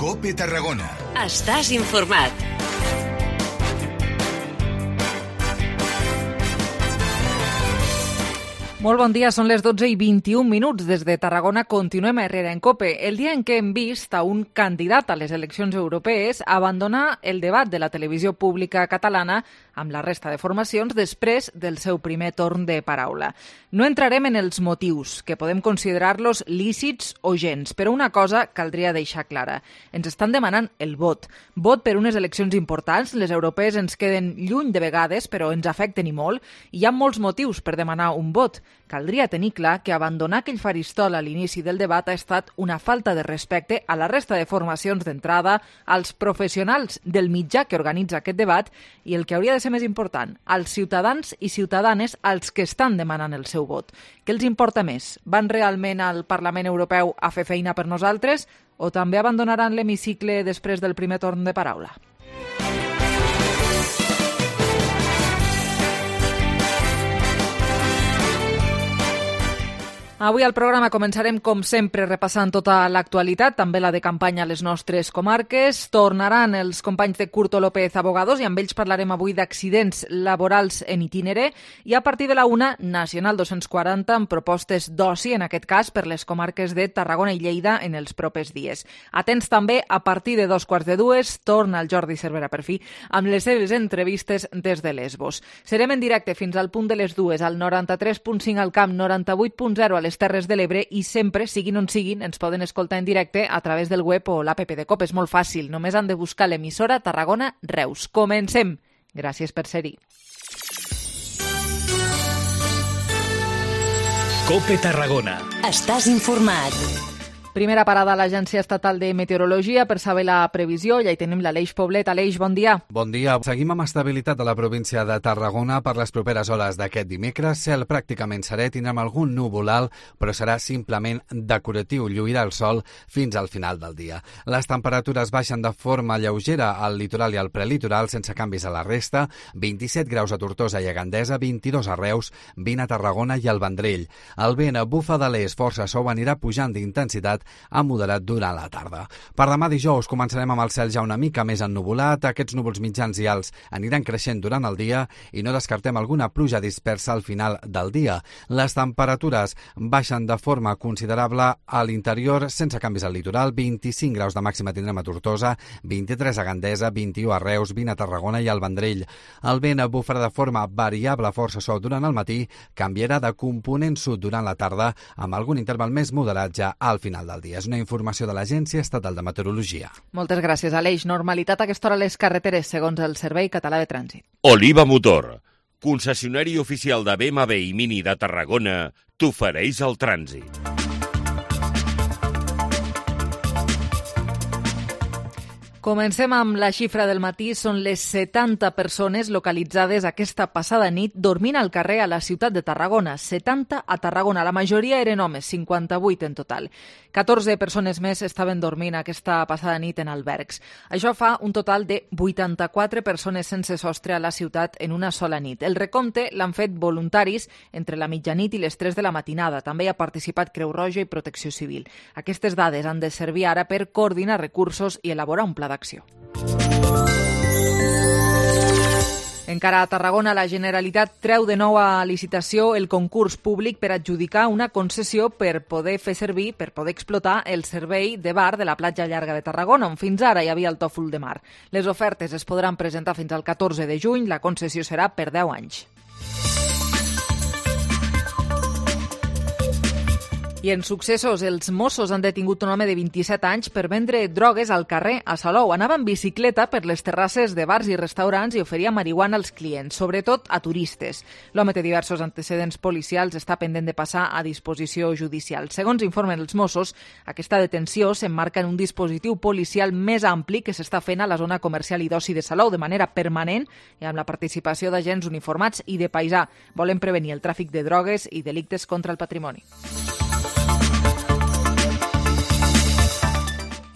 COPE Tarragona. Estàs informat. Molt bon dia, són les 12:21 des de Tarragona. Continuem a Herrera en COPE, el dia en què hem vist a un candidat a les eleccions europees abandonar el debat de la televisió pública catalana amb la resta de formacions després del seu primer torn de paraula. No entrarem en els motius, que podem considerar-los lícits o gens, però una cosa caldria deixar clara. Ens estan demanant el vot. Vot per unes eleccions importants, les europees ens queden lluny de vegades, però ens afecten i molt. Hi ha molts motius per demanar un vot. Caldria tenir clar que abandonar aquell faristol a l'inici del debat ha estat una falta de respecte a la resta de formacions d'entrada, als professionals del mitjà que organitza aquest debat i el que hauria de ser més important, als ciutadans i ciutadanes als que estan demanant el seu vot. Què els importa més? Van realment al Parlament Europeu a fer feina per nosaltres o també abandonaran l'hemicicle després del primer torn de paraula? Avui al programa començarem, com sempre, repassant tota l'actualitat, també la de campanya a les nostres comarques. Tornaran els companys de Curto López Abogados i amb ells parlarem avui d'accidents laborals en itinere i a partir de la 1, Nacional 240 amb propostes d'oci, en aquest cas per les comarques de Tarragona i Lleida en els propers dies. Atents també, a partir de 2:15, torna el Jordi Cervera per fi amb les seves entrevistes des de Lesbos. Serem en directe fins al punt de les 2 al 93.5 al Camp, 98.0 a les Terres de l'Ebre i sempre, siguin on siguin, ens poden escoltar en directe a través del web o l'app de COPE. És molt fàcil, només han de buscar l'emissora Tarragona Reus. Comencem. Gràcies per ser-hi. COPE Tarragona. Estàs informat. Primera parada a l'Agència Estatal de Meteorologia per saber la previsió. Ja hi tenim l'Aleix Poblet. Aleix, bon dia. Bon dia. Seguim amb estabilitat a la província de Tarragona per les properes hores d'aquest dimecres. Cel pràcticament serè, tindrem algun núvol alt, però serà simplement decoratiu. Lluirà el sol fins al final del dia. Les temperatures baixen de forma lleugera al litoral i al prelitoral, sense canvis a la resta. 27 graus a Tortosa i a Gandesa, 22 a Reus, 20 a Tarragona i al Vendrell. El vent bufa de l'est, força suau, anirà pujant d'intensitat a moderat durant la tarda. Per demà dijous començarem amb el cel ja una mica més ennuvolat. Aquests núvols mitjans i alts aniran creixent durant el dia i no descartem alguna pluja dispersa al final del dia. Les temperatures baixen de forma considerable a l'interior, sense canvis al litoral. 25 graus de màxima tindrem a Tortosa, 23 a Gandesa, 21 a Reus, 20 a Tarragona i al Vendrell. El vent bufarà de forma variable, força suau durant el matí, canviarà de component sud durant la tarda, amb algun interval més moderat ja al final del dia. És una informació de l'Agència Estatal de Meteorologia. Moltes gràcies, Aleix. Normalitat a aquesta hora a les carreteres, segons el Servei Català de Trànsit. Oliva Motor, concessionari oficial de BMW i Mini de Tarragona, t'ofereix el trànsit. Comencem amb la xifra del matí. Són les 70 persones localitzades aquesta passada nit dormint al carrer a la ciutat de Tarragona. 70 a Tarragona. La majoria eren homes, 58 en total. 14 persones més estaven dormint aquesta passada nit en albergs. Això fa un total de 84 persones sense sostre a la ciutat en una sola nit. El recompte l'han fet voluntaris entre la mitjanit i les 3 de la matinada. També hi ha participat Creu Roja i Protecció Civil. Aquestes dades han de servir ara per coordinar recursos i elaborar un pla d'acció. Encara a Tarragona, la Generalitat treu de nou a licitació el concurs públic per adjudicar una concessió per poder fer servir, per poder explotar el servei de bar de la platja llarga de Tarragona, on fins ara hi havia el tòfol de mar. Les ofertes es podran presentar fins al 14 de juny, la concessió serà per 10 anys. I en successos, els Mossos han detingut un home de 27 anys per vendre drogues al carrer a Salou. Anava en bicicleta per les terrasses de bars i restaurants i oferia marihuana als clients, sobretot a turistes. L'home té diversos antecedents policials, està pendent de passar a disposició judicial. Segons informen els Mossos, aquesta detenció s'emmarca en un dispositiu policial més ampli que s'està fent a la zona comercial i d'oci de Salou de manera permanent i amb la participació d'agents uniformats i de paisà. Volen prevenir el tràfic de drogues i delictes contra el patrimoni.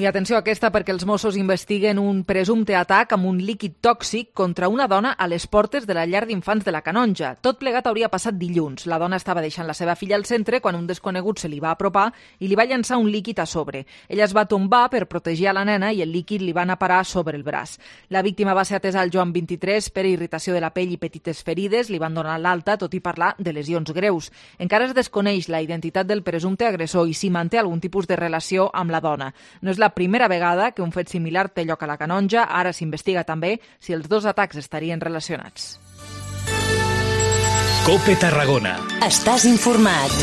I atenció a aquesta perquè els Mossos investiguen un presumpte atac amb un líquid tòxic contra una dona a les portes de la llar d'infants de la Canonja. Tot plegat hauria passat dilluns. La dona estava deixant la seva filla al centre quan un desconegut se li va apropar i li va llançar un líquid a sobre. Ella es va tombar per protegir a la nena i el líquid li va anar a parar sobre el braç. La víctima va ser atesa al Joan 23 per irritació de la pell i petites ferides. Li van donar l'alta, tot i parlar de lesions greus. Encara es desconeix la identitat del presumpte agressor i si manté algun tipus de relació amb la dona. No és la primera vegada que un fet similar té lloc a la Canonja. Ara s'investiga també si els dos atacs estarien relacionats. COPE Tarragona. Estàs informat.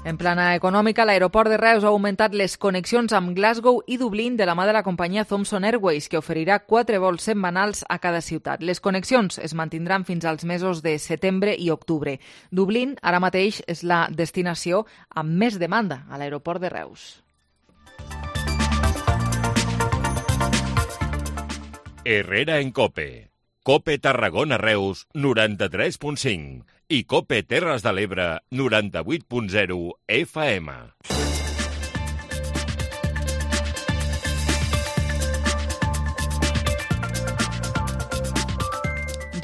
En plana econòmica, l'aeroport de Reus ha augmentat les connexions amb Glasgow i Dublín de la mà de la companyia Thomson Airways, que oferirà 4 vols setmanals a cada ciutat. Les connexions es mantindran fins als mesos de setembre i octubre. Dublín ara mateix és la destinació amb més demanda a l'aeroport de Reus. Herrera en COPE. COPE Tarragona Reus 93.5 i COPE Terres de l'Ebre 98.0 FM.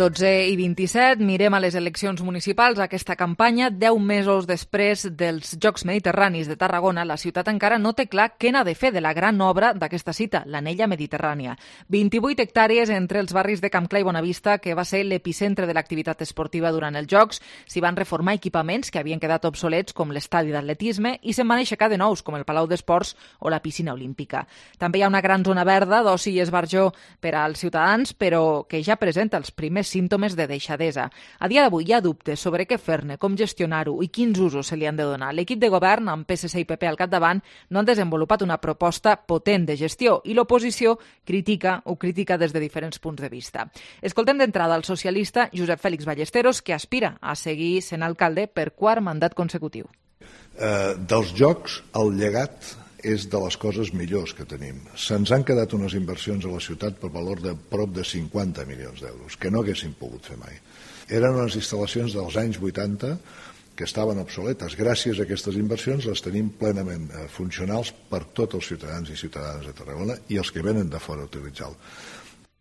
12:27, mirem a les eleccions municipals. Aquesta campanya, 10 mesos després dels Jocs Mediterranis de Tarragona, la ciutat encara no té clar què n'ha de fer de la gran obra d'aquesta cita, l'Anella Mediterrània. 28 hectàrees entre els barris de Camp Clar i Bonavista, que va ser l'epicentre de l'activitat esportiva durant els Jocs. S'hi van reformar equipaments que havien quedat obsolets, com l'estadi d'atletisme, i se'n van aixecar de nous, com el Palau d'Esports o la piscina olímpica. També hi ha una gran zona verda d'oci i esbarjó per als ciutadans, però que ja presenta els primers símptomes de deixadesa. A dia d'avui hi ha dubtes sobre què fer-ne, com gestionar-ho i quins usos se li han de donar. L'equip de govern, amb PSC i PP al capdavant, no han desenvolupat una proposta potent de gestió i l'oposició critica des de diferents punts de vista. Escoltem d'entrada el socialista Josep Fèlix Ballesteros, que aspira a seguir sent alcalde per quart mandat consecutiu. Dels Jocs, el llegat és de les coses millors que tenim. Se'ns han quedat unes inversions a la ciutat per valor de prop de 50 milions d'euros, que no haguéssim pogut fer mai. Eren unes instal·lacions dels anys 80 que estaven obsoletes. Gràcies a aquestes inversions les tenim plenament funcionals per tots els ciutadans i ciutadanes de Tarragona i els que venen de fora a utilitzar-lo.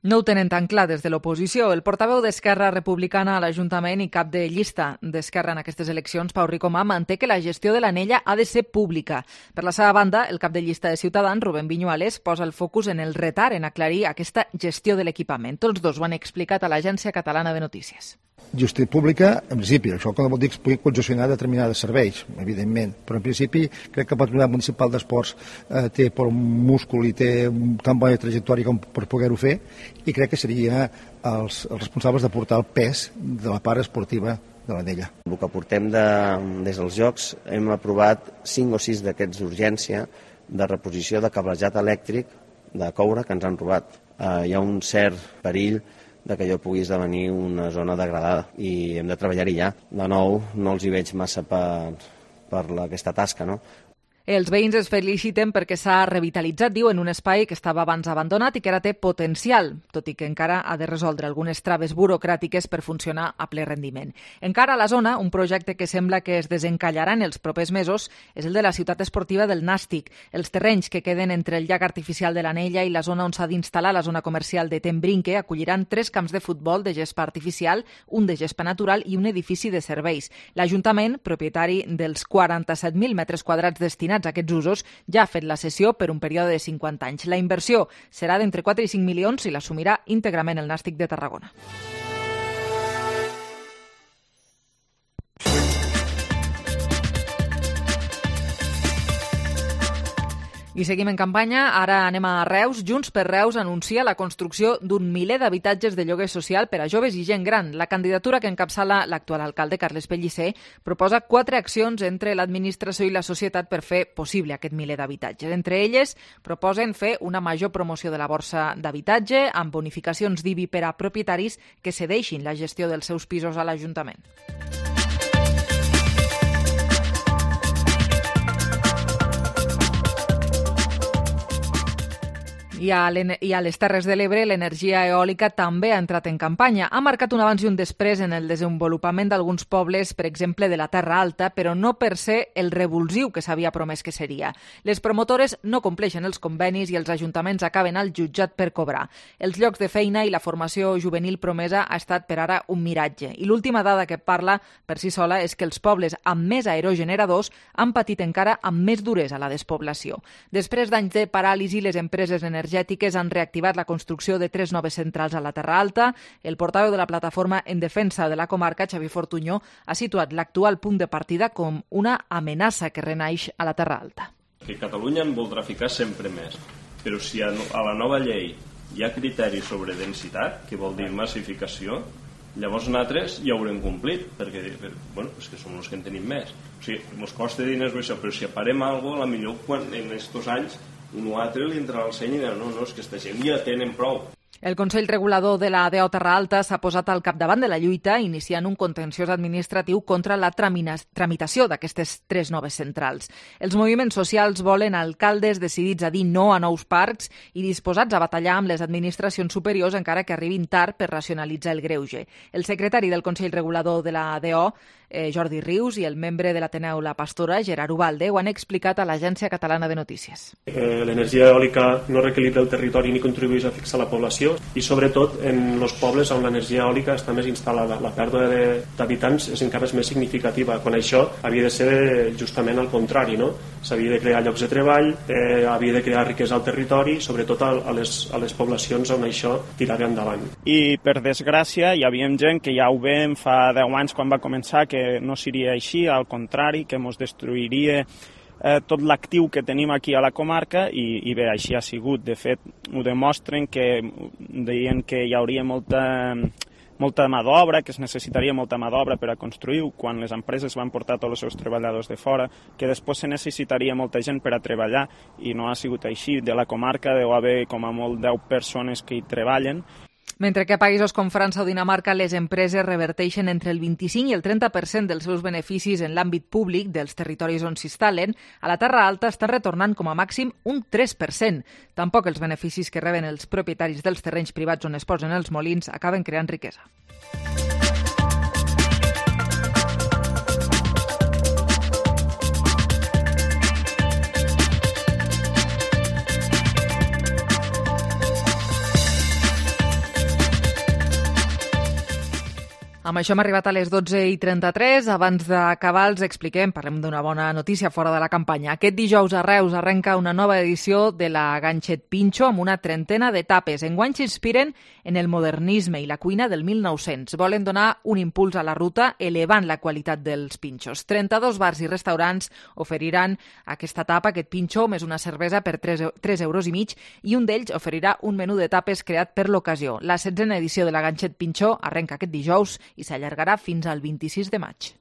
No ho tenen tan clar des de l'oposició. El portaveu d'Esquerra Republicana a l'Ajuntament i cap de llista d'Esquerra en aquestes eleccions, Pau Ricomà, manté que la gestió de l'Anella ha de ser pública. Per la seva banda, el cap de llista de Ciutadans, Rubén Viñuales, posa el focus en el retard en aclarir aquesta gestió de l'equipament. Tots dos ho han explicat a l'Agència Catalana de Notícies. Gestió pública, en principi, això que vol dir que es pugui concessionar determinades serveis, evidentment, però en principi crec que el Patronat Municipal d'Esports té per un múscul i té tan bona trajectòria com per poder-ho fer, i crec que serien els responsables de portar el pes de la part esportiva de l'Anella. El que portem des dels Jocs hem aprovat 5 o 6 d'aquests d'urgència de reposició de cablejat elèctric de coure que ens han robat. Hi ha un cert perill de que allò pugui esdevenir una zona degradada i hem de treballar-hi ja. De nou, no els hi veig massa per aquesta tasca, no? Els veïns es feliciten perquè s'ha revitalitzat, diuen, un espai que estava abans abandonat i que ara té potencial, tot i que encara ha de resoldre algunes traves burocràtiques per funcionar a ple rendiment. Encara a la zona, un projecte que sembla que es desencallarà en els propers mesos és el de la ciutat esportiva del Nàstic. Els terrenys que queden entre el llac artificial de l'Anella i la zona on s'ha d'instal·lar la zona comercial de Tembrinque acolliran 3 camps de futbol de gespa artificial, un de gespa natural i un edifici de serveis. L'Ajuntament, propietari dels 47.000 metres quadrats destinats a aquests usos, ja ha fet la cessió per un període de 50 anys. La inversió serà d'entre 4 i 5 milions i l'assumirà íntegrament el Nàstic de Tarragona. I seguim en campanya, ara anem a Reus. Junts per Reus anuncia la construcció d'un miler d'habitatges de lloguer social per a joves i gent gran. La candidatura que encapçala l'actual alcalde, Carles Pellicer, proposa 4 accions entre l'administració i la societat per fer possible aquest miler d'habitatges. Entre elles, proposen fer una major promoció de la borsa d'habitatge amb bonificacions d'IBI per a propietaris que cedeixin la gestió dels seus pisos a l'Ajuntament. I a les Terres de l'Ebre l'energia eòlica també ha entrat en campanya. Ha marcat un abans i un després en el desenvolupament d'alguns pobles, per exemple de la Terra Alta, però no per ser el revulsiu que s'havia promès que seria. Les promotores no compleixen els convenis i els ajuntaments acaben al jutjat per cobrar. Els llocs de feina i la formació juvenil promesa ha estat per ara un miratge. I l'última dada que parla per si sola és que els pobles amb més aerogeneradors han patit encara amb més duresa la despoblació. Després d'anys de paràlisi, les empreses energètiques han reactivat la construcció de 3 noves centrals a la Terra Alta. El portaveu de la plataforma en defensa de la comarca, Xavi Fortunyó, ha situat l'actual punt de partida com una amenaça que renaix a la Terra Alta. Que Catalunya en voldrà ficar sempre més, però si a la nova llei hi ha criteris sobre densitat, que vol dir massificació, llavors nosaltres ja haurem complit, perquè és que som els que en tenim més. O sigui, ens costa diners això, però si aparem alguna cosa, potser en aquests anys un o altre li entrarà al seny i dirà no, és que aquesta gent ja tenen prou. El Consell Regulador de la DO Terra Alta s'ha posat al capdavant de la lluita, iniciant un contenciós administratiu contra la tramitació d'aquestes 3 noves centrals. Els moviments socials volen alcaldes decidits a dir no a nous parcs i disposats a batallar amb les administracions superiors encara que arribin tard per racionalitzar el greuge. El secretari del Consell Regulador de la DO, Jordi Rius, i el membre de l'Ateneu La Pastora, Gerard Ubalde, ho han explicat a l'Agència Catalana de Notícies. L'energia eòlica no reequilibra el territori ni contribueix a fixar la població i sobretot en els pobles on l'energia eòlica està més instal·lada. La pèrdua d'habitants és encara més significativa, quan això havia de ser justament al contrari, no? S'havia de crear llocs de treball, havia de crear riquesa al territori, sobretot a les poblacions on això tirava endavant. I per desgràcia hi havia gent que ja ho veiem fa 10 anys quan va començar, que no seria així, al contrari, que ens destruiria tot l'actiu que tenim aquí a la comarca i bé, així ha sigut. De fet, ho demostren que deien que hi hauria molta mà d'obra, que es necessitaria molta mà d'obra per a construir, quan les empreses van portar tots els seus treballadors de fora, que després se necessitaria molta gent per a treballar i no ha sigut així. De la comarca deu haver com a molt 10 persones que hi treballen. Mentre que a països com França o Dinamarca les empreses reverteixen entre el 25 i el 30% dels seus beneficis en l'àmbit públic dels territoris on s'instal·len, a la Terra Alta estan retornant com a màxim un 3%. Tampoc els beneficis que reben els propietaris dels terrenys privats on es posen els molins acaben creant riquesa. Amb això hem arribat a les 12:33. Abans d'acabar els expliquem, parlem d'una bona notícia fora de la campanya. Aquest dijous a Reus arrenca una nova edició de la Ganxet Pinxo amb una trentena d'etapes. Enguany s'inspiren en el modernisme i la cuina del 1900. Volen donar un impuls a la ruta elevant la qualitat dels pinxos. 32 bars i restaurants oferiran aquesta etapa, aquest pinxo, més una cervesa per 3,5 euros i un d'ells oferirà un menú d'etapes creat per l'ocasió. La 16a edició de la Ganxet Pinxo arrenca aquest dijous i s'allargarà fins al 26 de maig.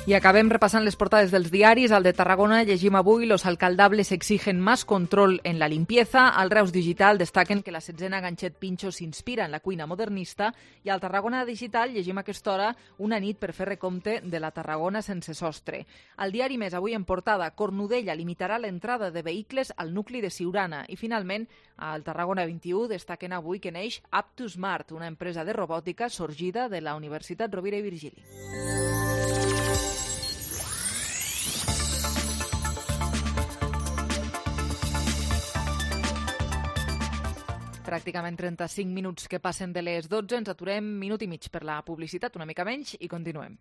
I acabem repassant les portades dels diaris. Al de Tarragona llegim avui: los alcaldables exigen más control en la limpieza. Al Reus Digital destaquen que la 16a Ganxet Pinxo s'inspira en la cuina modernista. I al Tarragona Digital llegim a aquesta hora una nit per fer recompte de la Tarragona sense sostre. Al diari Més, avui en portada: Cornudella limitarà l'entrada de vehicles al nucli de Siurana. I finalment, al Tarragona 21 destaquen avui que neix Up2Smart, una empresa de robòtica sorgida de la Universitat Rovira i Virgili. Pràcticament 35 minuts que passen de les 12. Ens aturem minut i mig per la publicitat, una mica menys, i continuem.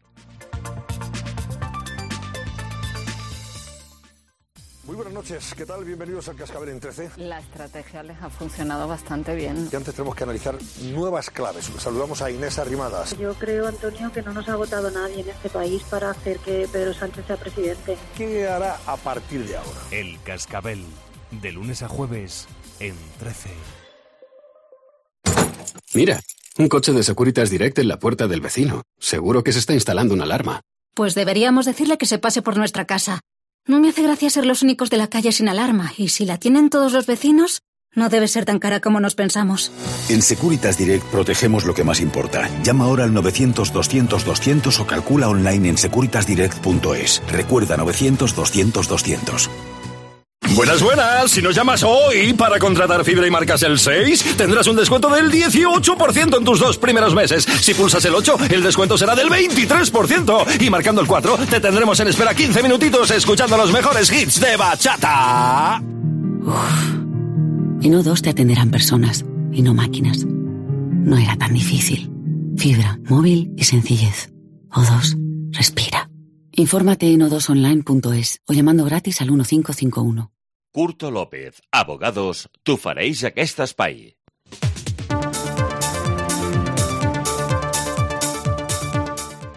Muy buenas noches, ¿qué tal? Bienvenidos al Cascabel en 13. La estrategia les ha funcionado bastante bien. Y antes tenemos que analizar nuevas claves. Saludamos a Inés Arrimadas. Yo creo, Antonio, que no nos ha votado nadie en este país para hacer que Pedro Sánchez sea presidente. ¿Qué hará a partir de ahora? El Cascabel, de lunes a jueves en 13. Mira, un coche de Securitas Direct en la puerta del vecino. Seguro que se está instalando una alarma. Pues deberíamos decirle que se pase por nuestra casa. No me hace gracia ser los únicos de la calle sin alarma, y si la tienen todos los vecinos, no debe ser tan cara como nos pensamos. En Securitas Direct protegemos lo que más importa. Llama ahora al 900-200-200 o calcula online en securitasdirect.es. Recuerda 900-200-200. Buenas, buenas. Si nos llamas hoy para contratar fibra y marcas el 6, tendrás un descuento del 18% en tus 2 primeros meses. Si pulsas el 8, el descuento será del 23%. Y marcando el 4, te tendremos en espera 15 minutitos escuchando los mejores hits de bachata. En O2 te atenderán personas y no máquinas. No era tan difícil. Fibra, móvil y sencillez. O2, respira. Infórmate en o2online.es o llamando gratis al 1551. Curto López, abogados, t'ofereix aquest espai.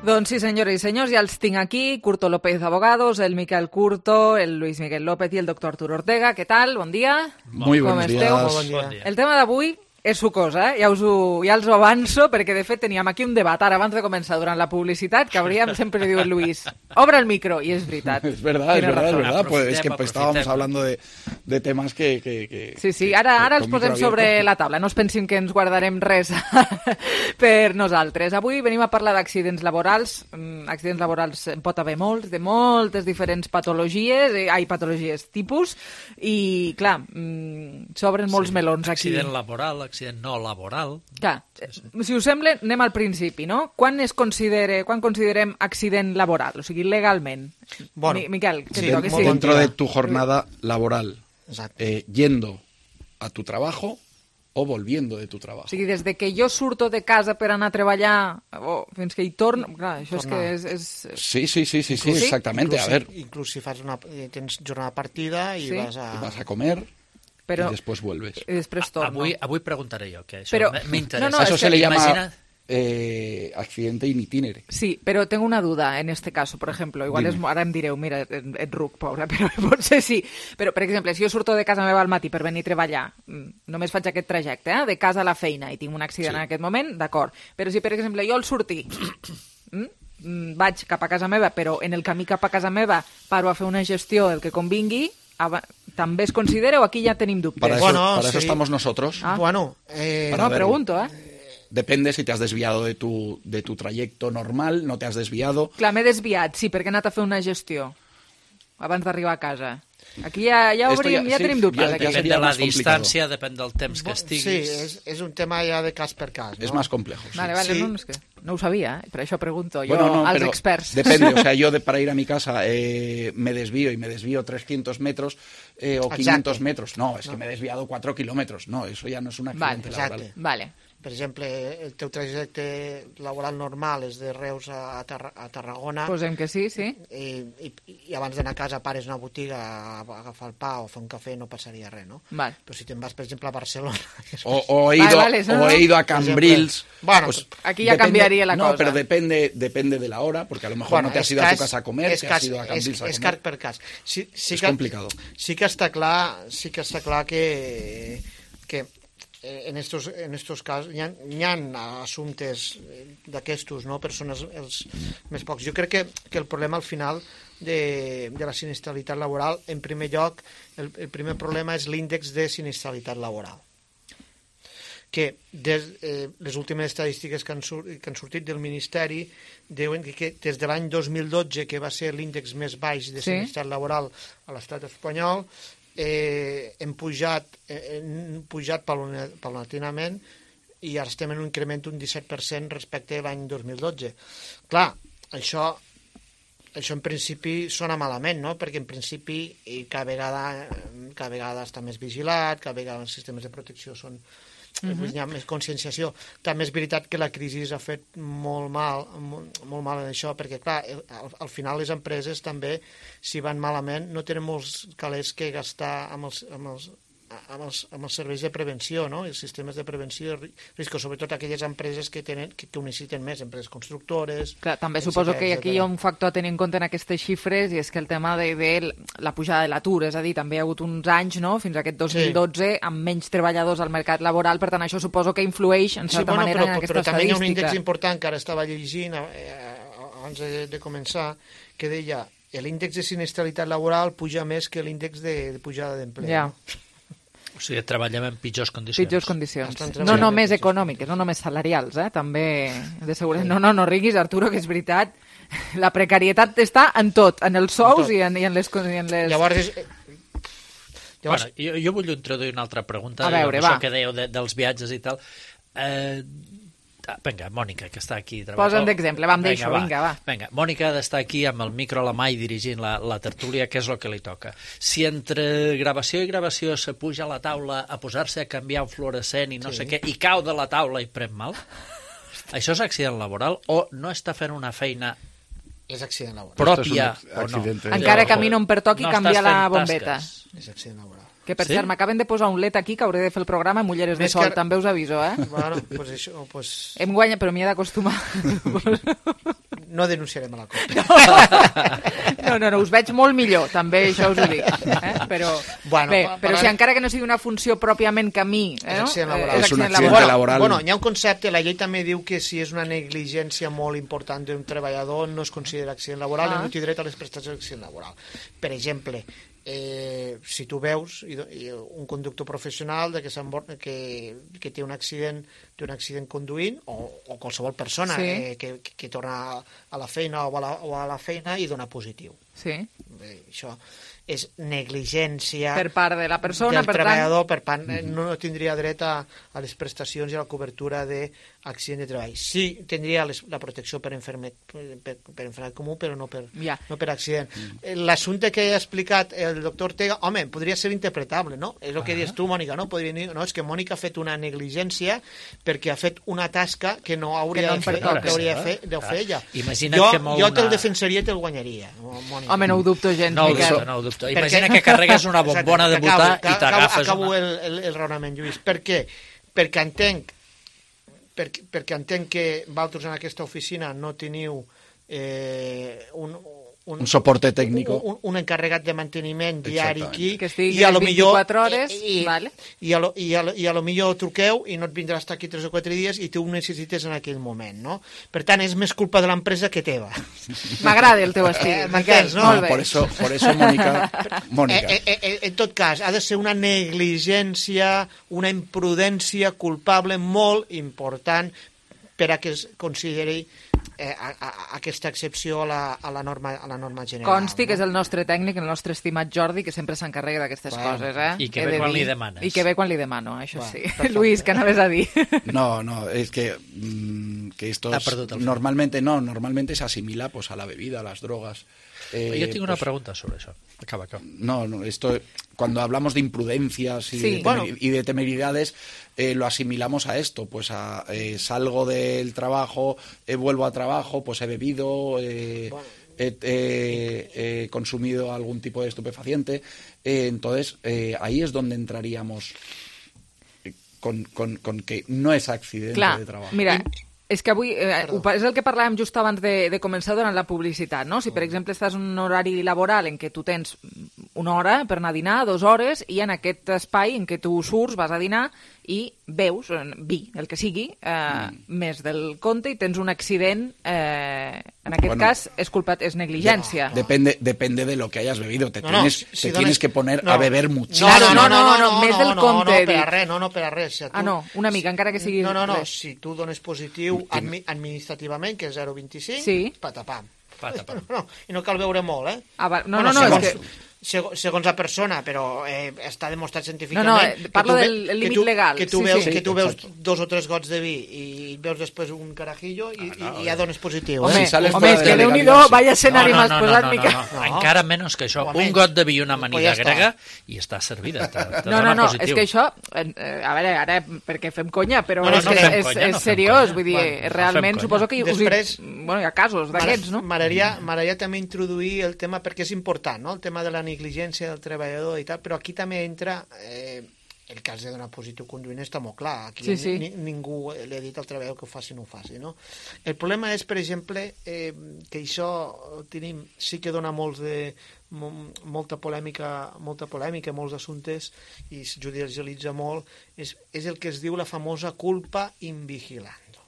Doncs sí, senyores i senyors, ja els tinc aquí, Curto López Abogados, el Miquel Curto, el Luis Miguel López i el doctor Arturo Ortega. Què tal? Bon dia. Muy buenos días. Bon dia. El tema d'avui és sucós, ja els ho avanço, perquè de fet teníem aquí un debat ara abans de començar durant la publicitat, que hauríem, sempre diu el Luis, obre el micro, i és veritat. Es verdad. Pues es que estábamos hablando de temas que Sí, ara els posem sobre la taula, no es pensin que ens guardarem res per nosaltres. Avui venim a parlar d'accidents laborals. Accidents laborals en pot haver molts, de moltes diferents patologies, patologies tipus, i clar, s'obren molts melons aquí. Accident laboral, accident no laboral. Clar, si us sembla, anem al principi, no? Quan considerem accident laboral? O sigui, legalment. Bueno, Miquel, sí, dentro de tu jornada laboral, yendo a tu trabajo o volviendo de tu trabajo. O sigui, des de que jo surto de casa per anar a treballar fins que hi torno... Clar, això és que és... Sí, exactamente. A ver. Inclús si tens jornada partida i vas a comer... Pero, y después vuelves. Y después torno. Avui preguntaré yo, que eso me interesa. No, eso se le llama accidente in itinere. Sí, pero tengo una duda en este caso, por ejemplo. Igual ara em direu, mira, et ruc, pobre, però potser sí. Però, per exemple, si jo surto de casa meva al matí per venir a treballar, només faig aquest trajecte, de casa a la feina, i tinc un accident en aquest moment, d'acord. Però si, per exemple, jo al sortir vaig cap a casa meva, però en el camí cap a casa meva paro a fer una gestió del que convingui, ¿también es considera o aquí ya tenemos dubtes? Para eso estamos nosotros. Pregunto, Depende si te has desviado de tu trayecto normal, no te has desviado. Clar, m'he desviat, sí, perquè he anat a fer una gestió abans d'arribar a casa. Aquí ja tenim dubtes. Depèn de la distància, depèn del temps que estiguis. Sí, és un tema ja de cas per cas, ¿no? Es más complejo. Sí. Vale, sí. No ho sabia, per això pregunto jo als experts. Depende, o sea, yo para ir a mi casa me desvío 300 metros o 500 metros. No, es que me he desviado 4 kilómetros. No, eso ya no es un accidente laboral. Vale. Per exemple, el teu trajecte laboral normal és de Reus a Tarragona. Posem que sí. I abans d'anar a casa pares una botiga a agafar el pa o fer un cafè, no passaria res, no? Vale. Però si te'n vas, per exemple, a Barcelona... O he ido a Cambrils... Bueno, pues, aquí ya cambiaría la cosa. No, pero depende de la hora, porque a lo mejor no te has ido a tu casa a comer, te has ido a Cambrils a comer. És cas per cas. És complicado. Sí que està clar que en estos casos hi ha assumptes d'aquestos, no? Persones els més pocs. Jo crec que el problema al final de la sinistralitat laboral, en primer lloc, el primer problema és l'índex de sinistralitat laboral, que les últimes estadístiques que han sortit del Ministeri diuen que des de l'any 2012, que va ser l'índex més baix de sinistralitat laboral a l'estat espanyol, hem pujat paulatinament i ara estem en un increment d'un 17% respecte a l'any 2012. Clar, això en principi sona malament, no? Perquè en principi cada vegada està més vigilat, cada vegada els sistemes de protecció són... Hi ha més conscienciació. També és veritat que la crisi ha fet molt mal en això, perquè clar, al final les empreses també, si van malament, no tenen molts calés que gastar amb els serveis de prevenció, no? Els sistemes de prevenció de riscos, sobretot aquelles empreses que ho necessiten més, empreses constructores... Clar, també suposo que aquí hi ha un factor a tenir en compte en aquestes xifres, i és que el tema de la pujada de l'atur, és a dir, també hi ha hagut uns anys, no?, fins a aquest 2012, amb menys treballadors al mercat laboral, per tant, això suposo que influeix, en certa manera, en aquesta estadística. Però també hi ha un índex important que ara estava llegint abans de començar, que deia l'índex de sinistralitat laboral puja més que l'índex de pujada d'empleo. Ja. O sigui, treballem en pitjors condicions. Pitjors condicions. No només econòmiques, no només salarials, també de seguretat. No riguis, Arturo, que és veritat. La precarietat està en tot, en els sous i en les... Llavors... Bueno, jo vull introduir una altra pregunta. A veure, això que dèieu dels viatges i tal. Vinga, Mònica, que està aquí. Posa'm d'exemple, deixo, vinga, va. Vinga, Mònica ha d'estar aquí amb el micro a la mà i dirigint la tertúlia, que és el que li toca. Si entre gravació i gravació se puja a la taula a posar-se a canviar un fluorescent i no sé què, i cau de la taula i pren mal, això és accident laboral o no està fent una feina és accident laboral pròpia o no? Encara camino on pertoqui canviar la bombeta. És accident laboral. Que, per cert, m'acaben de posar un LED aquí que hauré de fer el programa amb ulleres de sol, també us aviso, Bueno, pues això... Em guanya, però m'hi he d'acostumar. No denunciarem a la COP. No, us veig molt millor, també, això us ho dic. Però si encara que no sigui una funció pròpiament que a mi... És accident laboral. És un accident laboral. Bueno, hi ha un concepte, la llei també diu que si és una negligència molt important d'un treballador no es considera accident laboral i no té dret a les prestacions d'accident laboral. Per exemple, si tu veus un conductor professional que té un accident conduint o qualsevol persona que torna a la feina o a la feina i dona positiu. Això és negligència per part de la persona, del treballador, per tant no tindria dret a les prestacions i a la cobertura d'accident de treball. Sí, tindria la protecció per enfermat comú, però no per accident. L'assumpte que ha explicat el doctor Ortega, home, podria ser interpretable, no? És el que dius tu, Mònica, no? Podria dir, no, és que Mònica ha fet una negligència perquè ha fet una tasca que no hauria de fer ella. Jo te'l defensaria i te'l guanyaria, Mònica. Home, no ho dubto gens, Miquel. No ho dubto. Imagina que carregues una bombona de butà i t'agafes Acabo el raonament, Lluís. Per què? Perquè entenc que vosaltres en aquesta oficina no teniu un soporte tècnic, un encarregat de manteniment diari aquí, que estigui 24 hores, i a lo millor truqueu i no et vindrà a estar aquí 3 o 4 dies i tu ho necessites en aquell moment, no? Per tant, és més culpa de l'empresa que teva. M'agrada el teu estil, m'entens, no? Por eso, Mónica. En tot cas, ha de ser una negligència, una imprudència culpable molt important per a que es consideri aquesta excepció a la norma general. Consti que és el nostre tècnic, el nostre estimat Jordi, que sempre s'encarrega d'aquestes coses, I que ve quan li demanes. I que ve quan li demano, això sí. Luis, què anaves a dir? No, es que esto normalmente se asimila pues a la bebida, a las drogas. Yo tengo una pregunta sobre eso. Acaba. No, esto cuando hablamos de imprudencias y de temeridades, lo asimilamos a esto, pues salgo del trabajo, vuelvo a trabajo, pues he bebido, he consumido algún tipo de estupefaciente, entonces ahí es donde entraríamos con que no es accidente de trabajo. Mira, és que avui, és el que parlàvem just abans de començar durant la publicitat, no? Si, per exemple, estàs en un horari laboral en què tu tens una hora per anar a dinar, 2 hores, i en aquest espai en què tu surts, vas a dinar i beus vi, el que sigui, més del compte i tens un accident, en aquest cas és negligència. Depende de lo que hayas bebido, tienes que poner a beber muchísimo. No, més del compte. No, per a res. Una mica, encara que sigui... No, si tu dones positiu administrativament, que és 0,25, patapam. I no cal veure molt, és que... Segons la persona, però està demostrat científicament... parlo del límit legal. Que tu veus 2 o 3 gots de vi i veus després un carajillo i ja dones positiu. Home, és que Déu-n'hi-do, vaya escenari m'has posat, Miquel. Encara menys que això. Un got de vi i una amanida grega i està servida. No, és que això... A veure, ara, perquè fem conya, però és seriós. Vull dir, realment suposo que hi ha casos d'aquests, no? M'agradaria també introduir el tema, perquè és important, no? El tema de la negligència del treballador i tal, però aquí també entra el cas de donar positiu conduint, està molt clar. Aquí ningú li ha dit al treballador que ho faci o no ho faci, no? El problema és, per exemple, que això sí que dona molta polèmica, molts assumptes, i es judicialitza molt, és el que es diu la famosa culpa in vigilando,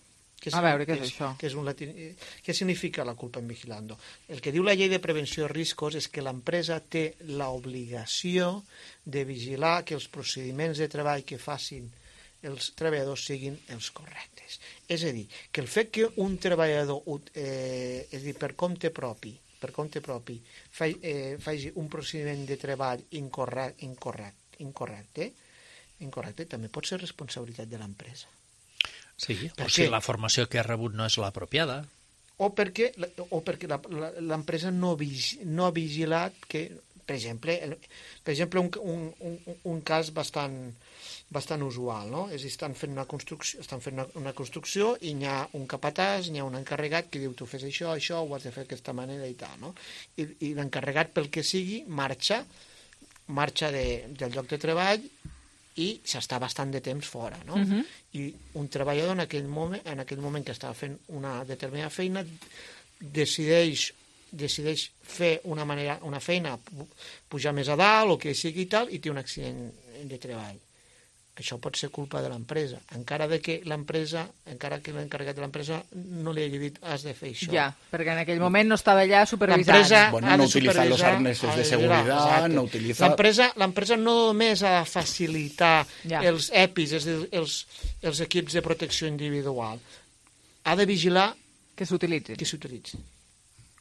A veure, què és això? Què significa la culpa en vigilando? El que diu la llei de prevenció de riscos és que l'empresa té l'obligació de vigilar que els procediments de treball que facin els treballadors siguin els correctes. És a dir, que el fet que un treballador, és a dir, per compte propi, faci un procediment de treball incorrecte, també pot ser responsabilitat de l'empresa. Sí, o si la formació que ha rebut no és l'apropiada. O perquè l'empresa no ha vigilat que, per exemple, un cas bastant usual, no? És a dir, estan fent una construcció i hi ha un capatàs, hi ha un encarregat que diu tu fes això, ho has de fer d'aquesta manera i tal, no? I l'encarregat, pel que sigui, marxa del lloc de treball i s'està bastant de temps fora, no? I un treballador en aquell moment que estava fent una determinada feina decideix fer una feina, pujar més a dalt o que sigui i tal, i té un accident de treball. Això pot ser culpa de l'empresa, encara que l'encarregat de l'empresa no li hagi dit has de fer això. Ja, perquè en aquell moment no estava allà supervisant. No utilitzar els arnesos de seguretat, no utilitzar... L'empresa no només ha de facilitar els EPIs, és a dir, els equips de protecció individual, ha de vigilar que s'utilitzin.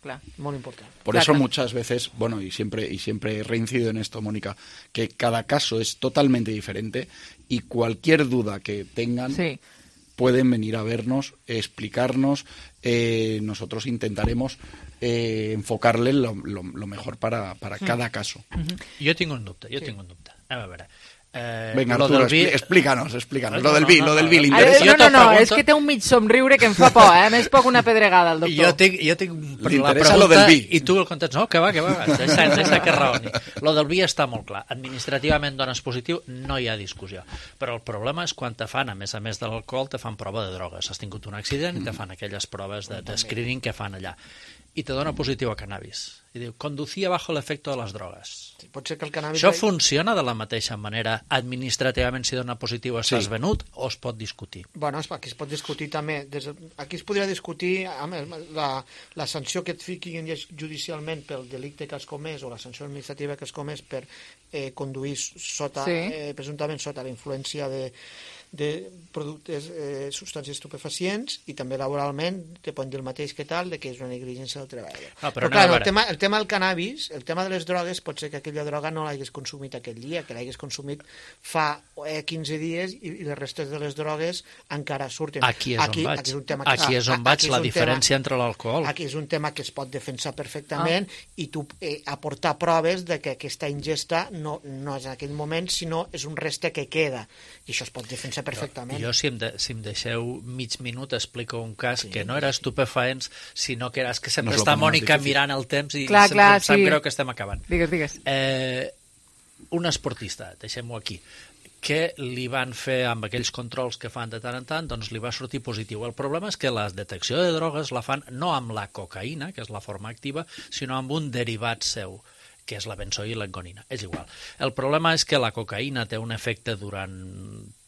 Claro. Muy importante. Por eso muchas veces, y siempre reincido en esto, Mónica, que cada caso es totalmente diferente y cualquier duda que tengan pueden venir a vernos, explicarnos, nosotros intentaremos enfocarle lo mejor para cada caso. Jo tinc un dubte. A veure... Venga, Arturo, explícanos. Lo del vi l'interessa. No, és que té un mig somriure que em fa por, N'és poc una pedregada, el doctor. Jo tinc la pregunta i tu el contestes, no, que va, deixa que raoni. Lo del vi està molt clar. Administrativament dones positiu, no hi ha discussió. Però el problema és quan te fan, a més de l'alcohol, te fan prova de drogues. Has tingut un accident i te fan aquelles proves de screening que fan allà. I te dona positiu a cannabis. I diu, conducía bajo el efecto de las drogas. Sí, pot ser que el cannabis... Això funciona de la mateixa manera administrativament si dona positiu estàs venut o es pot discutir? Bueno, aquí es pot discutir també. Aquí es podria discutir la sanció que et fiquin judicialment pel delicte que has comès o la sanció administrativa que has comès per conduir presumptament sota la influència de productes, substàncies estupefacients, i també laboralment te poden dir el mateix que tal, que és una negligència del treballador. Però clar, el tema del cannabis, el tema de les drogues, pot ser que aquella droga no l'hagués consumit aquell dia, que l'hagués consumit fa 15 dies i les restes de les drogues encara surten. Aquí és on vaig, la diferència entre l'alcohol. Aquí és un tema que es pot defensar perfectament i tu aportar proves de que aquesta ingesta no és en aquell moment, sinó és un reste que queda, i això es pot defensar perfectament. Jo, si em deixeu mig minut, explico un cas que no era estupefaents, sinó que era que sempre està Mònica mirant el temps i sempre em sap greu que estem acabant. Digues. Un esportista, deixem-ho aquí, que li van fer amb aquells controls que fan de tant en tant, doncs li va sortir positiu. El problema és que la detecció de drogues la fan no amb la cocaïna, que és la forma activa, sinó amb un derivat seu, que és la benzoilengonina. És igual. El problema és que la cocaïna té un efecte durant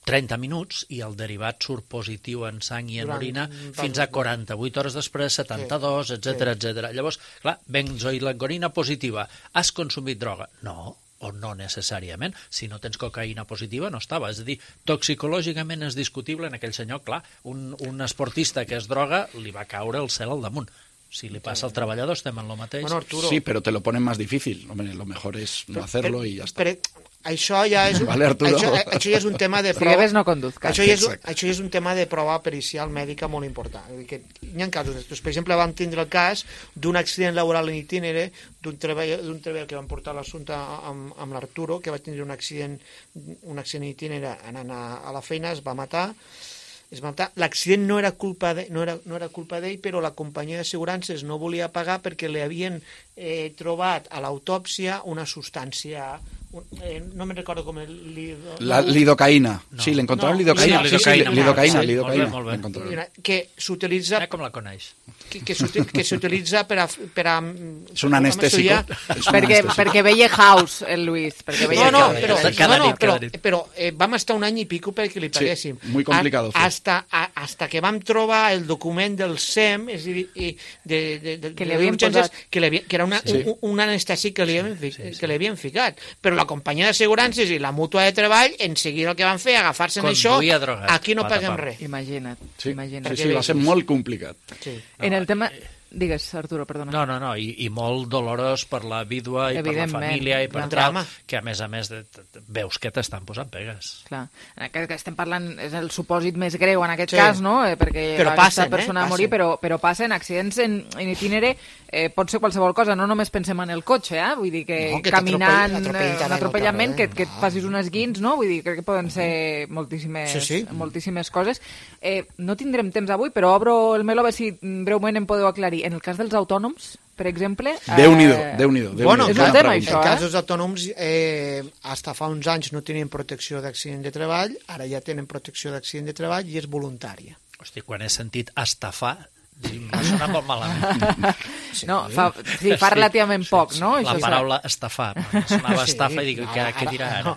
30 minuts i el derivat surt positiu en sang i en orina fins a 48 hores després, 72, etc. Llavors, clar, benzoilengonina positiva. Has consumit droga? No, o no necessàriament. Si no tens cocaïna positiva, no estava. És a dir, toxicològicament és discutible en aquell senyor. Clar, un esportista que es droga li va caure el cel al damunt. Si li pasa al treballador, estem en lo mateix. Bueno, Arturo, sí, pero te lo ponen más difícil. Hombre, lo mejor es no hacerlo y ya está. Això ja és això ja és un tema de prova. Això ja és un tema de prova pericial mèdica molt important. Hi ha casos. Per exemple, vam tindre el cas d'un accident laboral en itinere d'un treballador que vam portar l'assumpte amb l'Arturo, que va tindre un accident en itinere anant a la feina, es va matar. L'accident no era culpa d'ell, però la companyia d'assegurances no volia pagar perquè li havien trobat a l'autòpsia una substància no me recordo com la lidocaïna. No. Sí, l'encontraron lidocaïna. Lidocaïna. Que s'utilitza... Com la coneix? Que s'utilitza per a... És un anestèsico. Perquè veia House, el Luis. Però vam estar un any i pico perquè li paguéssim. Muy complicado. Hasta que vam trobar el document del SEM, és a dir, que li havien posat... que era un anestèsic que li havien ficat. Però la companyia d'assegurances i la mútua de treball, en seguida el que van fer, agafar-se en això, aquí no paguem res. Imagina't. Sí, va ser molt complicat. En el tema... Digues, Arturo, perdona. No, i molt dolorós per la vídua i per la família i per tal, que a més veus que t'estan posant pegues. Clar, en aquest que estem parlant és el supòsit més greu en aquest cas, no? Perquè aquesta persona va morir, però passen accidents en itinere, pot ser qualsevol cosa, no només pensem en el cotxe, vull dir que caminant, un atropellament, que et facis un esguins, no? Vull dir, crec que poden ser moltíssimes coses. No tindrem temps avui, però obro el meló a veure si breument em podeu aclarir. En el cas dels autònoms, per exemple... Déu-n'hi-do. Bueno, és un tema, això, en el cas dels autònoms, fins fa uns anys no tenien protecció d'accident de treball, ara ja tenen protecció d'accident de treball i és voluntària. Hosti, quan he sentit estafar, m'ha sonat molt malament. Fa relativament poc, no? La paraula estafar. Sonava estafa i dic, què dirà ara?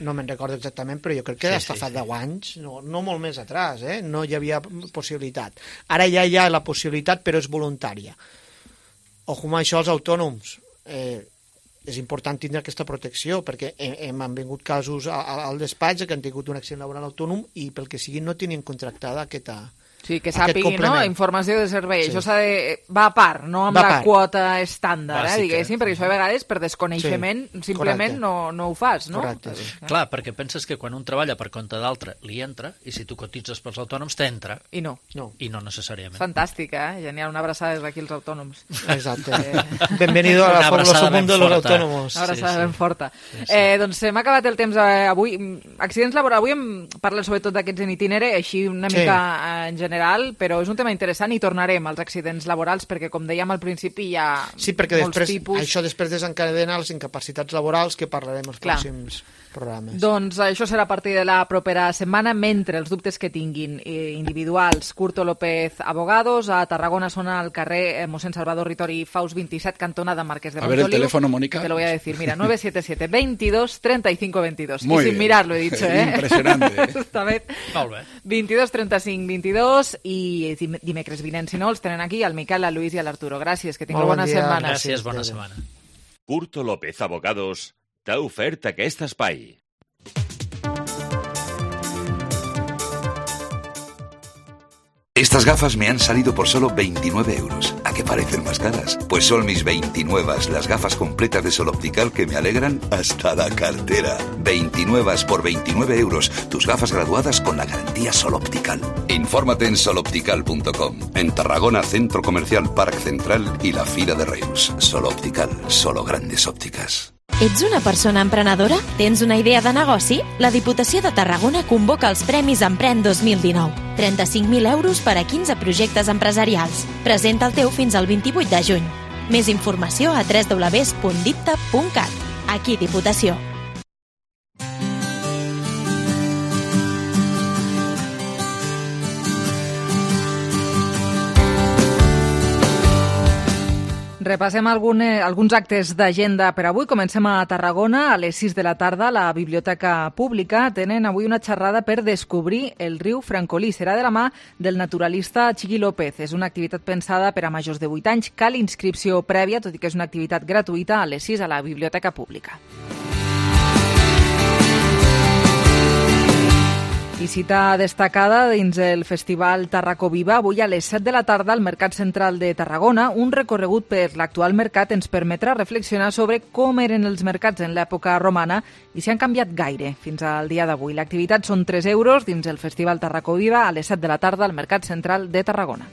No me'n recordo exactament, però jo crec que d'estar fa 10 anys, no molt més atrás, no hi havia possibilitat. Ara ja hi ha la possibilitat, però és voluntària. Ojo amb això, els autònoms. És important tindre aquesta protecció, perquè han vingut casos al despatx que han tingut un accident laboral autònom i pel que sigui no tenien contractada aquesta... Sí, que sàpigui, no? Informació de servei. Sí. Això va a part, no amb la quota estàndard, diguéssim, perquè això a vegades per desconeixement simplement no ho fas, no? Correcte. Clar, perquè penses que quan un treballa per compte d'altre li entra, i si tu cotitzes pels autònoms t'entra. I no. I no necessàriament. Fantàstic, Genial. Una abraçada des d'aquí als autònoms. Exacte. Benvenido a la fabuloso mundo de los autónomos. Una abraçada ben forta. Doncs hem acabat el temps avui. Accidents laborals. Avui hem parlat sobretot d'aquests en itinere, així una mica en general, però és un tema interessant i tornarem als accidents laborals perquè, com dèiem al principi, hi ha molts tipus. Això després desencadena les incapacitats laborals que parlarem els pròxims programes. Doncs això serà a partir de la propera setmana, mentre els dubtes que tinguin individuals. Curto López Abogados, a Tarragona són al carrer Mossèn Salvador Ritori Faus 27, cantonada Marqués de Montoliu. A ver el teléfono, Mónica. Te lo voy a decir, mira, 977 22 35 22. Y sin mirar lo he dicho, Impressionante. Justament. Molt bé. 22 35 22 i dimecres vinent, si no, els tenen aquí al Miquel, al Luis i a l'Arturo. Gràcies, que tingueu bona setmana. Gràcies, bona setmana. Curto López Abogados t'ha ofert aquest espai. Estas gafas me han salido por solo 29 euros. ¿A qué parecen más caras? Pues son mis 29, las gafas completas de Sol Optical que me alegran hasta la cartera. 29 por 29 euros. Tus gafas graduadas con la garantía Sol Optical. Infórmate en soloptical.com. En Tarragona, Centro Comercial Parc Central y la Fira de Reus. Sol Optical, solo grandes ópticas. Ets una persona emprenedora? Tens una idea de negoci? La Diputació de Tarragona convoca els Premis Empren 2019. 35.000 euros per a 15 projectes empresarials. Presenta el teu fins al 28 de juny. Més informació a www.dipta.cat. Aquí Diputació. Repassem alguns actes d'agenda per avui. Comencem a Tarragona. A les 6 de la tarda, la Biblioteca Pública tenen avui una xerrada per descobrir el riu Francolí. Serà de la mà del naturalista Chiqui López. És una activitat pensada per a majors de 8 anys. Cal inscripció prèvia, tot i que és una activitat gratuïta, a les 6 a la Biblioteca Pública. I cita destacada dins el Festival Tarraco Viva. Avui a les 7 de la tarda al Mercat Central de Tarragona. Un recorregut per l'actual mercat ens permetrà reflexionar sobre com eren els mercats en l'època romana i si han canviat gaire fins al dia d'avui. L'activitat són 3 euros dins el Festival Tarraco Viva a les 7 de la tarda al Mercat Central de Tarragona.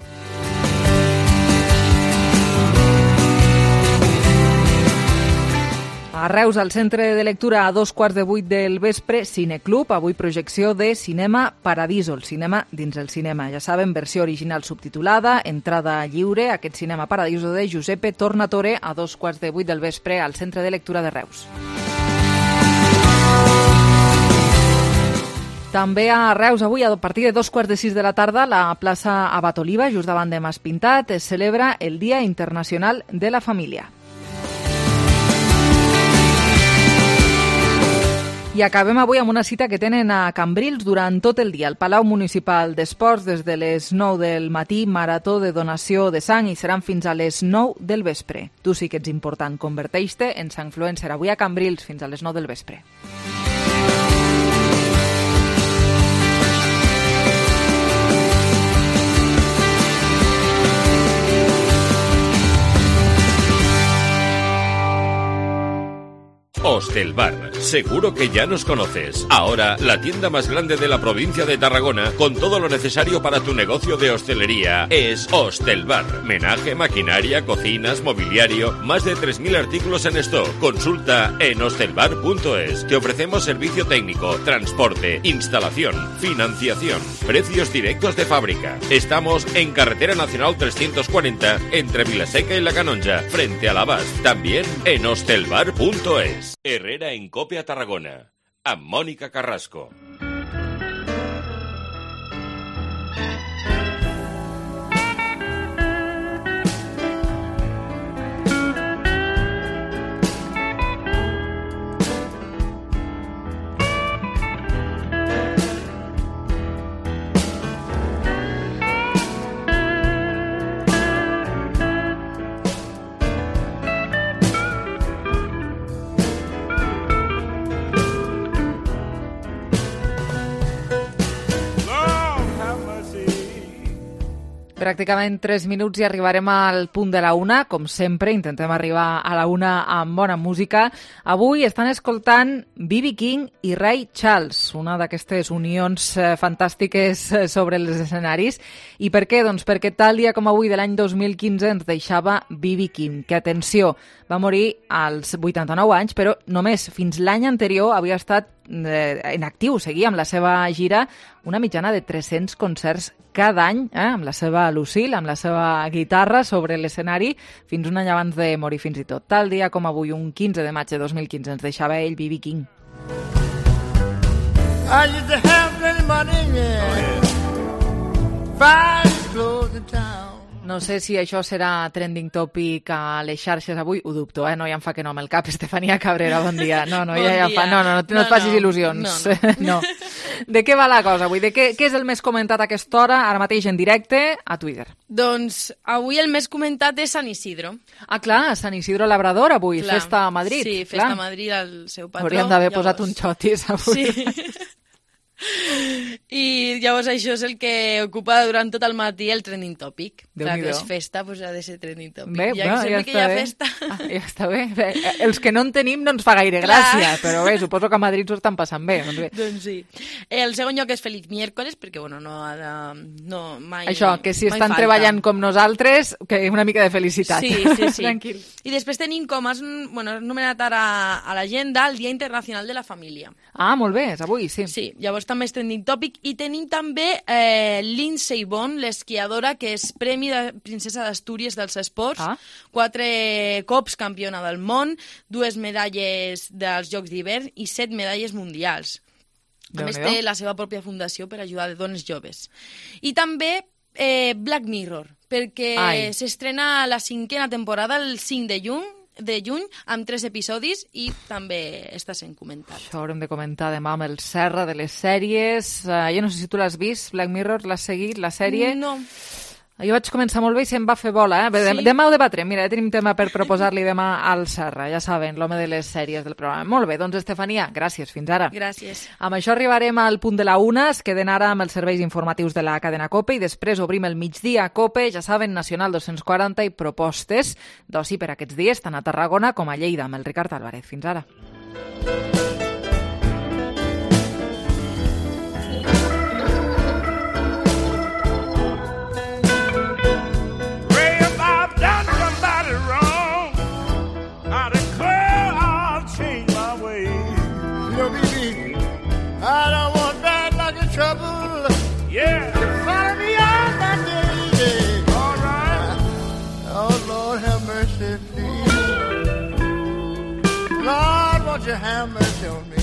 A Reus, al centre de lectura a 7:15 del vespre, Cineclub, avui projecció de Cinema Paradiso, el cinema dins el cinema. Ja saben, versió original subtitulada, entrada lliure, aquest Cinema Paradiso de Giuseppe Tornatore a 7:15 del vespre al centre de lectura de Reus. També a Reus, avui, a partir de 2:45 de la tarda, la plaça Abat Oliva, just davant de Mas Pintat, es celebra el Dia Internacional de la Família. I acabem avui amb una cita que tenen a Cambrils durant tot el dia. Al Palau Municipal d'Esports, des de les 9 del matí, marató de donació de sang i seran fins a les 9 del vespre. Tu sí que ets important, converteix-te en Sangfluencer. Avui a Cambrils fins a les 9 del vespre. Hostelbar, seguro que ya nos conoces. Ahora, la tienda más grande de la provincia de Tarragona, con todo lo necesario para tu negocio de hostelería, es Hostelbar. Menaje, maquinaria, cocinas, mobiliario, más de 3.000 artículos en stock. Consulta en hostelbar.es. Te ofrecemos servicio técnico, transporte, instalación, financiación, precios directos de fábrica. Estamos en Carretera Nacional 340, entre Vilaseca y La Canonja, frente a la Bas. También en hostelbar.es. Herrera en COPE a Tarragona, amb Mònica Carrasco. Pràcticament 3 minuts i arribarem al punt de la 1. Com sempre, intentem arribar a la 1 amb bona música. Avui estan escoltant B.B. King i Ray Charles, una d'aquestes unions fantàstiques sobre els escenaris. I per què? Doncs perquè tal dia com avui de l'any 2015 ens deixava B.B. King, que, atenció, va morir als 89 anys, però només fins l'any anterior havia estat en actiu, seguia amb la seva gira, una mitjana de 300 concerts cada any, amb la seva Lucille, amb la seva guitarra sobre l'escenari, fins un any abans de morir fins i tot. Tal dia com avui, un 15 de maig de 2015, ens deixava ell, B.B. King. I used to have plenty money, yeah. Fine clothes in town. No sé si això serà trending topic a les xarxes avui, ho dubto, no ja em fa que no amb el cap. Estefania Cabrera, bon dia. No et facis il·lusions. No. De què va la cosa avui? Què és el més comentat a aquesta hora, ara mateix en directe, a Twitter? Doncs avui el més comentat és Sant Isidro. Ah, clar, Sant Isidro Labrador avui, clar. Festa a Madrid. Sí, festa a Madrid, el seu patró. Hauríem d'haver posat un xotis avui. Sí. I llavors això és el que ocupa durant tot el matí el trending topic. Clar, que és festa, doncs ha de ser trending topic. Bé, ja que sempre que hi ha festa... Ja està bé. Els que no en tenim no ens fa gaire gràcia, però bé, suposo que a Madrid s'ho estan passant bé. Doncs sí. El segon lloc és Feliç Miércoles, perquè bueno, no mai... Això, que si estan treballant com nosaltres, que una mica de felicitat. Sí. Tranquil. I després tenim com has anomenat ara a l'agenda el Dia Internacional de la Família. Ah, molt bé, és avui, sí. Sí, llavors també és trending topic. I tenim també Lindsey Vonn, l'esquiadora, que és Premi de Princesa d'Astúries dels Esports, 4 cops campiona del món, 2 medalles dels Jocs d'hivern i 7 medalles mundials. A més, té la seva pròpia fundació per ajudar a dones joves. I també Black Mirror, perquè s'estrena la 5a temporada el 5 de juny, amb 3 episodis, i també està sent comentat. Això haurem de comentar demà amb el Serra de les sèries. Jo no sé si tu l'has vist, Black Mirror, l'has seguit, la sèrie? No. Jo vaig començar molt bé i se'm va fer bola. Sí? Demà ho debatrem. Mira, ja tenim tema per proposar-li demà al Serra. Ja saben, l'home de les sèries del programa. Molt bé, doncs Estefania, gràcies. Fins ara. Gràcies. Amb això arribarem al punt de la 1. Es queden ara amb els serveis informatius de la cadena COPE i després obrim el migdia COPE, ja saben, Nacional 240 i propostes d'oci per aquests dies, tant a Tarragona com a Lleida, amb el Ricard Álvarez. Fins ara. I don't want bad luck and trouble. Yeah. Follow me on my day. All right. Oh, Lord, have mercy, please. Lord, won't you have mercy on me?